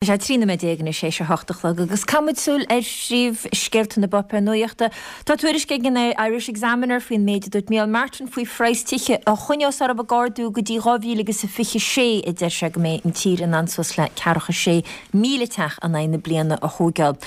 Tá sé 13 nóiméad anois théis a hocht a chlog agus caithfimid súil ar phríomhscéalta na bpáipéar nuachta. Tá tuairisc ag an Irish Examiner faoin méid a dúirt Micheál Martin faoi phraghas tithe a choinneos orthu ag ardú go dtí 2026 a deir sé go mbeidh an tír in ann suas le ceathracha sé 1,000 teach in aghaidh na bliana a thóigeáil.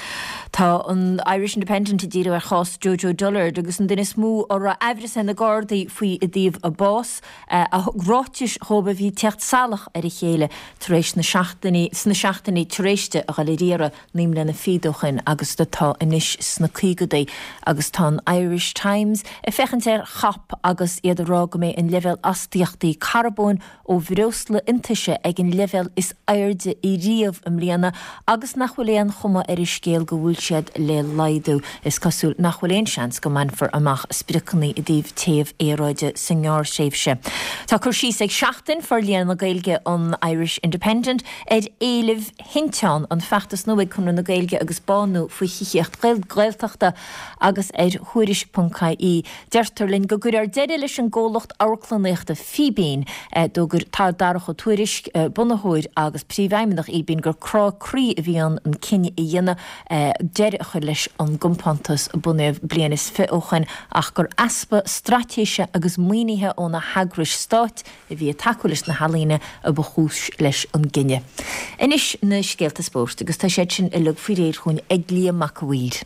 Tá an Irish Independent ag díriú ar chás Jojo Dullard agus an duine is mó a raibh aimhreas ar na Gardaí faoi i dtaobh a bás. a thug ráitis dhóibh a bhí ag teacht salach ar a chéile tar éis na seachtainí, sna seachtainí tar éis di a dhul ar iarraidh naoi mbliana fichead ó shoin agus atá anois sna caogadaí agus tá an Irish Times ag féachaint ar chop agus iad ag rá go mbeidh an leibhéal astaíochtaí carbóin ó bhreosla iontaise ag an leibhéal is airde riamh i mbliana agus nach bhfuil aon chuma ar an scéal go bhfuil siad le laghdú. Is cosúil nach bhfuil aon seans go mbainfear amach spriocanna i dtaobh téamh aeráide sa ngearrthréimhse. Tá cur síos ag Seachtain, Forlíonadh Gaeilge an Irish Independent, ar éilimh Thinteán, an feachtas nua ag Conradh na Gaeilge agus Bánú faoi thithíocht Ghaeltachta agus ar Thuairisc.ie. Deirtear linn go gcuirfear deireadh leis an gcomhlacht amharclannaíochta Fíbín. D'fhógair Darach Ó Tuairisg, bunaitheoir agus príomhfheidhmeannach Fhíbín, gur crá croí a bhí ann an cinneadh a dhéanamh deireadh a chur leis an gcompántas a bunaíodh bliain is fi' ó shoin ach gur easpa straitéise agus maoinithe ó na heagrais stáit a bhí ag tacú leis na healaíona a ba chúis leis an gcinneadh. Anois na scéalta spóirt agus tá siad sin uilig faoi réir chugainn ag Liam Mac a' Mhaoir.